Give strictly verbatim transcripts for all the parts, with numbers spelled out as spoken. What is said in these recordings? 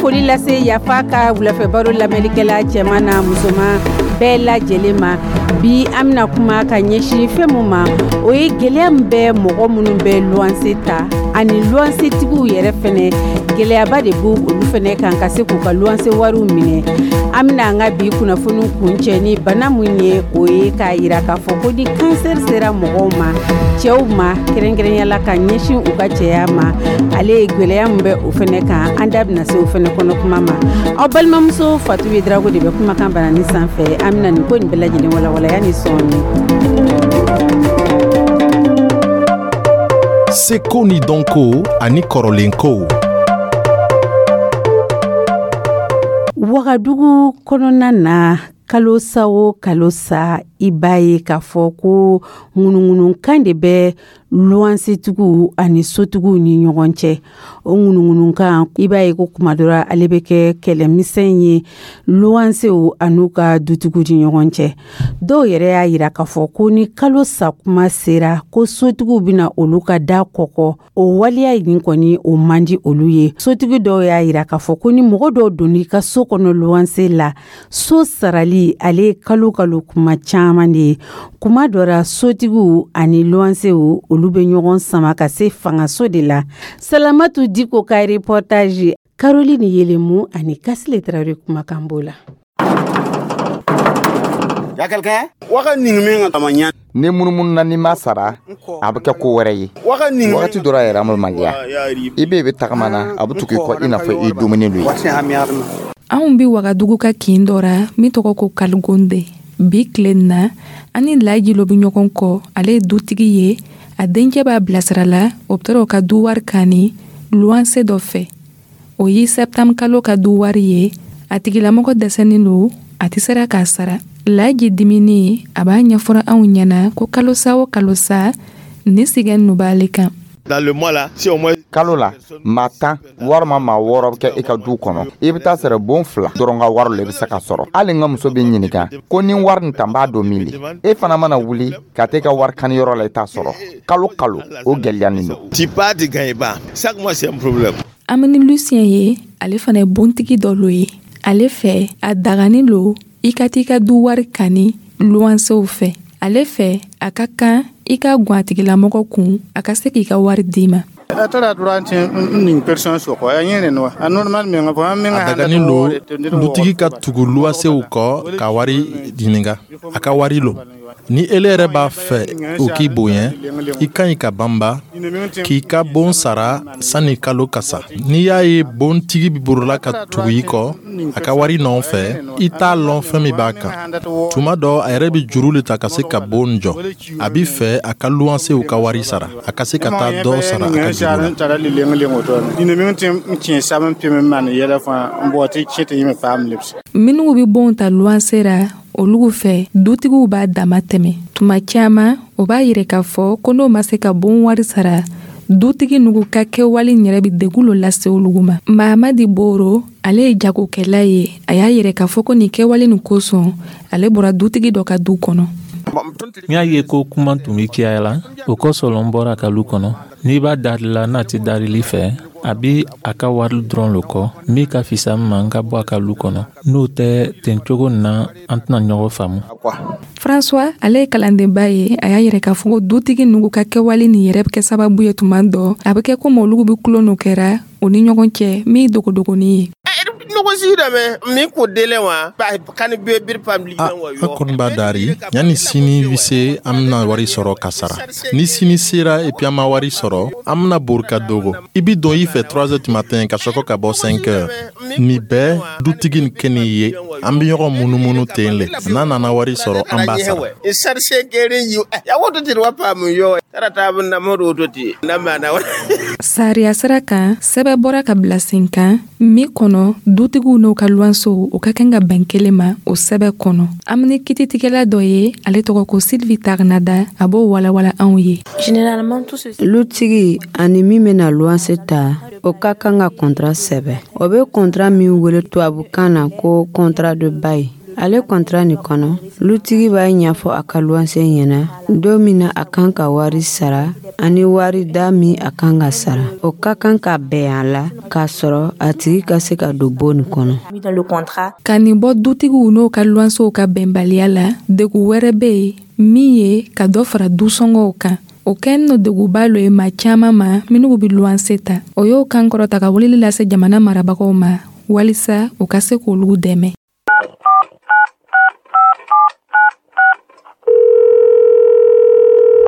Foli lase Yafa ka wulafɛ baro lamɛnlikɛla cɛman n'a musoman bɛɛ lajɛlen ma. Bi, an bɛna kuma ka ɲɛsin fɛn mun ma, o ye gɛlɛya min bɛ mɔgɔ minnu bɛ luwanse ta ani luwansetigiw yɛrɛ fɛnɛ. Gɛlɛyaba de b'u olu fɛnɛ kan ka se k'u ka luwanse wariw minɛ. An bɛna an ka bi kunnafoni kuncɛ ni bana mun ye, o ye k'a yira k'a fɔ ko ni kansɛri sera mɔgɔw ma, cɛw ma kɛrɛnkɛrɛnya ka ɲɛsin u ka cɛya ma, ale ye gɛlɛya min bɛ o fɛnɛ kan, an da bɛna se o fɛnɛ kɔnɔ kuma ma. Aw balimamuso Fatu ye Darago de bɛ kumakan banani sanfɛ. An bɛna nin ko nin bɛɛ lajɛlen walawalaya ni sɔɔni. Seko ni dɔnko ani kɔrɔlenkow. Wagadugu kɔnɔna na, kalo sa o kalo sa, i b'a ye k'a fɔ ko ŋunuŋunukan de bɛ luwansetigiw ani sotigiw ni ɲɔgɔn cɛ. O ŋunuŋunukan, i b'a ye ko kuma dɔ la, ale bɛ kɛ kɛlɛmisɛn ye luwansew an'u ka dutigiw ni ɲɔgɔn cɛ. Dɔw yɛrɛ y'a yira k'a fɔ ko ni kalo sa kuma sera, ko sotigiw bɛna olu ka da kɔkɔ. O waleya nin kɔni, o man di olu ye. Sotigi dɔw y'a yira k'a fɔ ko ni mɔgɔ dɔw donn'i ka so kɔnɔ luwanse la, so sarali ale kalo kalo kuma caman de ye. Kuma dɔ la, sotigiw ani luwansew, olu bɛ ɲɔgɔn sama ka se fangaso de la. Salamatu Diko ka reportage, Caroline Yelemu ani Kasile Tarawele kumakan b'o la. Ni munumunu na, n'i ma sara, a bɛ kɛ ko wɛrɛ ye. Wagati dɔ la yɛrɛ, an bɛ maloya. I bɛ bɛ tagama na, a bɛ tugu i kɔ i n'a fɔ i ye dumuni lo ye. Anw be Wagadugu ka kin dɔ ra min tɔgɔ ko Kaligonde. Bi tile na, an ni Laji lo be ɲɔgɔn kɔ. Ale ye dutigi ye. A dencɛ b'a bilasira la, o be taara o ka du wari kani luwanse dɔ fɛ. O ye sɛptanburu kalo ka du wari ye. A tigilamɔgɔ dɛsɛnin lo, a tɛ sera k'a sara. Laji dimini, a b'a ɲɛfɔra anw ɲɛna ko kalosa o kalosa, ni sigɛn nu b'ale kan. Kalo la, maa tan walima maa wɔɔrɔ bɛ kɛ i ka du kɔnɔ. I bɛ taa sɔrɔ bon fila dɔrɔn ka wari le bɛ se ka sɔrɔ. Hali n ka muso bɛ ɲininka ko ni wari nin ta, n b'a don min le. E fana mana wuli ka taa i ka wari kaniyɔrɔ la, i t'a sɔrɔ. Kalo kalo, o gɛlɛyanin don. An bɛ ni Lucien ye. Ale fana ye bontigi dɔ lo ye. Ale fɛ, a dagani lo i ka t'i ka du wari kani luwansew fɛ. Ale fɛ, a ka kan i ka gwan a tigilamɔgɔ kun, a ka se k'i ka wari d'i ma. A daganin lo dutigi ka tugu luwasew kɔ ka wari ɲininka. A ka wari lo. Ni ele yɛrɛ b'a fɛ o k'i bonya, i ka ɲi ka banba k'i ka bon sara sanni kalo ka sa. N'i y'a ye bontigi bɛ borola ka tugu i kɔ a ka wari nɔfɛ, i t'a lɔn fɛn min b'a kan. Tuma dɔ, a yɛrɛ bɛ juru le ta ka se ka bon jɔ. A b'i fɛ a ka luwansew ka wari sara, a ka se ka taa dɔ sara a ka juru la. Minnu bɛ bon ta luwanse ra, olugu fɛ, dutigiw b'a dama tɛmɛ tuma caman. O b'a yira k'a fɔ ko n'o ma se ka bon wari sara, dutigi nugu ka kɛwale yɛrɛ bɛ degun lo lase olugu ma. Mahamadi Boro, ale ye jagokɛla ye. A y'a yira k'a fɔ ko nin kɛwale nin kosɔn, ale bɔra dutigi dɔ ka du kɔnɔ. N y'a ye ko kuma tun bɛ caya la, o kosɔn n bɔra a ka lu kɔnɔ. N'i b'a darila n'a tɛ darili fɛ, a bi a ka wari dɔrɔn lo kɔ. Min ka fisa n ma, n ka bɔ a ka lu kɔnɔ. N'o tɛ, ten cogo nin na, an tɛna ɲɔgɔn faamu. François, ale ye kalandenba ye. A y'a yira k'a fɔ ko dutigi nugu ka kɛwale nin yɛrɛ bɛ kɛ sababu ye, tuma dɔ a bɛ kɛ komi olugu bɛ tulon no kɛra o ni ɲɔgɔn cɛ min ye dogodogonin ye. A an kɔni b'a dari yanni sini bi se, an bɛna wari sɔrɔ ka sara. Ni sini sera, et puis an ma wari sɔrɔ, an bɛna bori ka dogo. I bi don i fɛ trois heures du matin ka sɔrɔ ka bɔ cinq heures. Nin bɛɛ dutigi nin kɛ nin ye, an bɛ ɲɔgɔn munumunu ten le. N'a nana wari sɔrɔ, an b'a sara. Sariya sira kan, sɛbɛn bɔra ka bila sen kan min kɔnɔ, dutigiw n'u ka luwansew, u ka kan ka bɛn kelen ma o sɛbɛn kɔnɔ. An bɛ ni kititigɛla dɔ ye, ale tɔgɔ ko Sylvie Tagnada. A b'o walawala anw ye. Lutigi ani min bɛna luwanse ta, o ka kan ka kɔntara sɛbɛn. O bɛ kɔntara min wele tubabukan na ko contrat de bail. Ale kɔntara nin kɔnɔ, lutigi b'a ɲɛfɔ a ka luwanse ɲɛna don min na a kan ka wari sara ani wari da min a kan ka sara. O ka kan ka bɛn a la k'a sɔrɔ a tigi ka se ka don bon nin kɔnɔ. Ka nin bɔ dutigiw n'o ka luwansew ka bɛnbaliya la, degun wɛrɛ bɛ yen min ye ka dɔ fara dusɔngɔw kan. O kɛnin no degunba lo ye maa caman ma minnu bɛ luwanse ta. O y'o kan kɔrɔta ka weleli lase jamana marabagaw ma walisa u ka se k'olu dɛmɛ.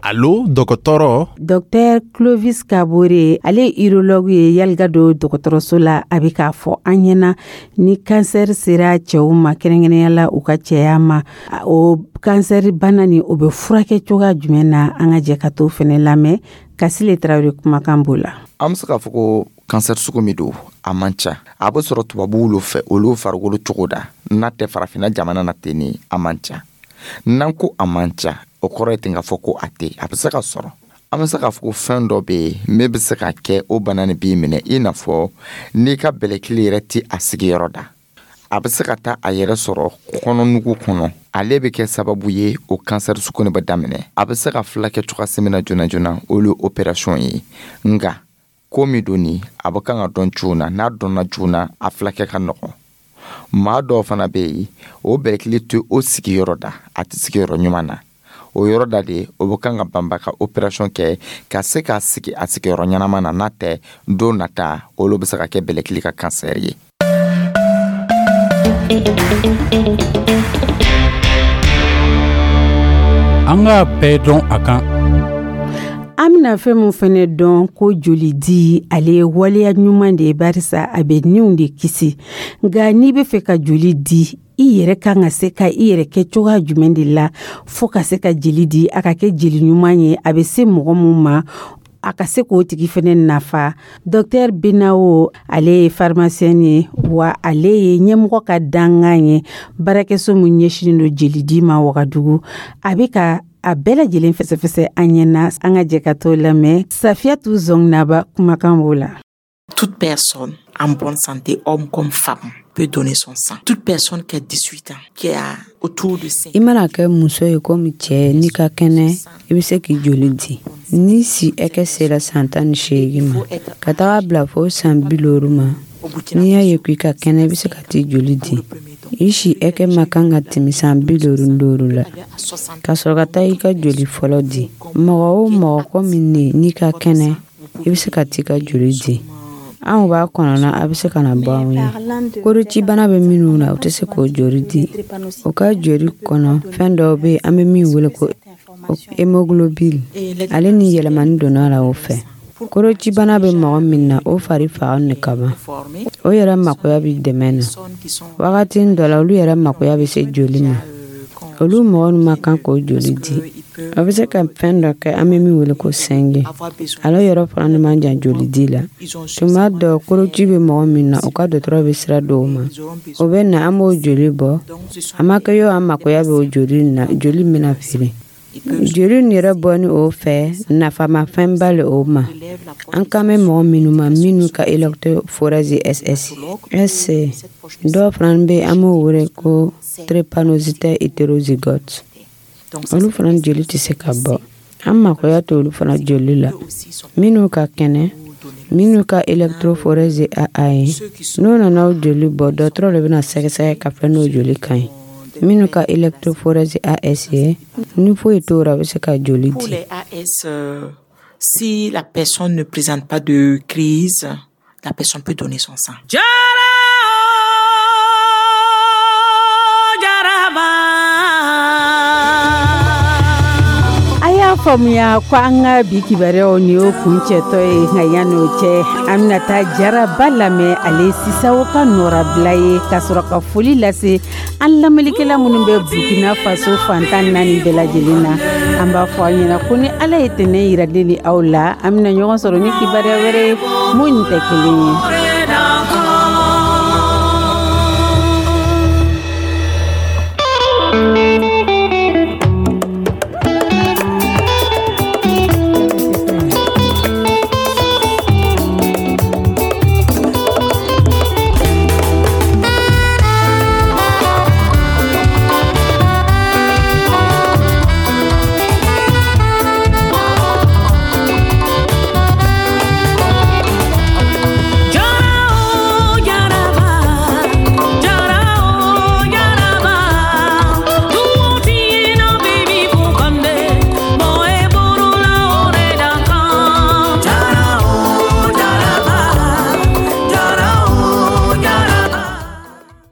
Allo, dɔgɔtɔrɔ. Docteur Clovis Kabore, ale ye urologue ye Yalgado dɔgɔtɔrɔso la. A bɛ k'a fɔ an ɲɛna ni kansɛri sera cɛw ma, kɛrɛnkɛrɛnnenya la u ka cɛya ma, o kansɛri bana nin o bɛ furakɛ cogoya jumɛn na? An ka jɛ ka t'o fɛnɛ lamɛn. Kasile Tarawele kumakan b'o la. An bɛ se k'a fɔ ko kansɛri sugu min don, a man ca. A bɛ sɔrɔ tubabuw lo fɛ, olu farikolo cogo da. N'a tɛ farafinna jamana na ten ni a man ca. N'an ko a man ca, o kɔrɔ ye ten k'a fɔ ko a tɛ, a bɛ se ka sɔrɔ. An bɛ se k'a fɔ ko fɛn dɔ bɛ yen min bɛ se ka kɛ o bana nin b'i minɛ, i n'a fɔ n'i ka bɛlɛkili yɛrɛ tɛ a sigiyɔrɔ da. A bɛ se ka taa a yɛrɛ sɔrɔ kɔnɔnugu kɔnɔ. Ale bɛ kɛ sababu ye o kansɛri sugu nin bɛ daminɛ. A bɛ se ka furakɛ cogoya min na joona joona, o ye opération ye. Nka ko min don nin, a bɛ kan ka dɔn joona. N'a dɔnna joona, a furakɛ ka nɔgɔn. Maa dɔw fana bɛ yen, o bɛlɛkili tɛ o sigiyɔrɔ da, a tɛ sigiyɔrɔ ɲuman na. O yɔrɔ da de, o bɛ kan ka banba ka opération kɛ ka se k'a sigi a sigiyɔrɔ ɲɛnama na. N'a tɛ, don nata olu bɛ se ka kɛ bɛlɛkili ka kansɛri ye. An k'a bɛɛ dɔn a kan. An bɛna fɛn min fɛnɛ dɔn ko joli di, ale ye waleya ɲuman de ye, barisa a bɛ niw de kisi. Nka n'i bɛ fɛ ka joli di, i yɛrɛ kan ka se ka i yɛrɛ kɛ cogoya jumɛn de la fo ka se ka jeli di, a ka kɛ jeli ɲuman ye, a bɛ se mɔgɔ mun ma, a ka se k'o tigi fɛnɛ nafa. Docteur Benawo, ale ye pharmacien ye, wa ale ye ɲɛmɔgɔ ka dankan ye baarakɛso min ɲɛsinnen don jeli di ma Wagadugu. A bɛ ka a bɛɛ lajɛlen fɛsɛfɛsɛ an ɲɛna. An ka jɛ ka t'o lamɛn. Safiyatu Zɔngnaba kumakan b'o la. Toute personne en bonne santé, homme comme femme, peut donner son sang. Toute personne qui a dix-huit ans, qui a autour de cinq. I mana kɛ muso ye komi cɛ, n'i ka kɛnɛ, i bɛ se k'i joli di. Ni si hakɛ sera san tan ni seegin ma ka taga bila fo san bi loru ma, n'i y'a ye ko i ka kɛnɛ, i bɛ se ka t'i joli di. I si hakɛ ma kan ka tɛmɛ san bi loru ni duuru la ka sɔrɔ ka taa i ka joli fɔlɔ di. Mɔgɔ o mɔgɔ komi ne, n'i ka kɛnɛ, i bɛ se ka t'i ka joli di. Anw b'a kɔnɔna, a bɛ se ka na bɔ anw ye. Korocibana bɛ minnu na, u tɛ se k'o joli di. O ka joli kɔnɔ fɛn dɔw bɛ yen, an bɛ min wele ko hémoglobine, ale ni yɛlɛmani donna la o fɛ. Korocibana bɛ mɔgɔ min na, o fari faga ni kaban, o yɛrɛ makoya bɛ dɛmɛ na. Wagati dɔ la, olu yɛrɛ makoya bɛ se joli ma. Olu mɔgɔ ninnu ma kan k'o joli di. A bɛ se ka fɛn dɔ kɛ, an bɛ min wele ko sɛnge. Ale yɔrɔ fana man jan joli di la. Tuma dɔ, koroci bɛ mɔgɔ min na, o ka dɔgɔtɔrɔ bɛ sira dɔw ma, o bɛ na, an b'o joli bɔ. A ma kɛ yɔrɔ, an makoya bɛ o joli na, joli bɛna feere. Joli nin yɛrɛ bɔ ni o fɛ, nafamafɛnba le o ma. An kan bɛ mɔgɔ minnu ma, minnu ka électrophorèse S S S C, dɔw fana bɛ yen, an b'o wele ko drépanocytaire hétérozygote. Olu fana joli tɛ se ka bɔ. An makoya t'olu fana joli la. Minnu ka kɛnɛ, minnu ka électrophorèse A A ye, n'o nana o joli bɔ, dɔgɔtɔrɔ de bɛna sɛgɛsɛgɛ ka fɛn n'o joli ka ɲi. Minnu ka électrophorèse A S ye, ni foyi t'o la, a bɛ se ka joli Pour di. les A S, euh, si la personne ne présente pas de crise, la personne peut donner son sang. A y'a faamuya ko an ka bi kibaruyaw ni o kuncɛtɔ ye. Nka yan'o cɛ, an bɛna taa Jaraba lamɛn, ale Sisawo ka nɔrabila ye, ka sɔrɔ ka foli lase an lamɛnnikɛla minnu bɛ Burkina Faso fantan naani bɛɛ lajɛlen na. An b'a fɔ aw ɲɛna ko ni Ala ye tɛnɛ yira ne ni aw la, an bɛna ɲɔgɔn sɔrɔ ni kibaruya wɛrɛ ye mun tɛ kelen ye.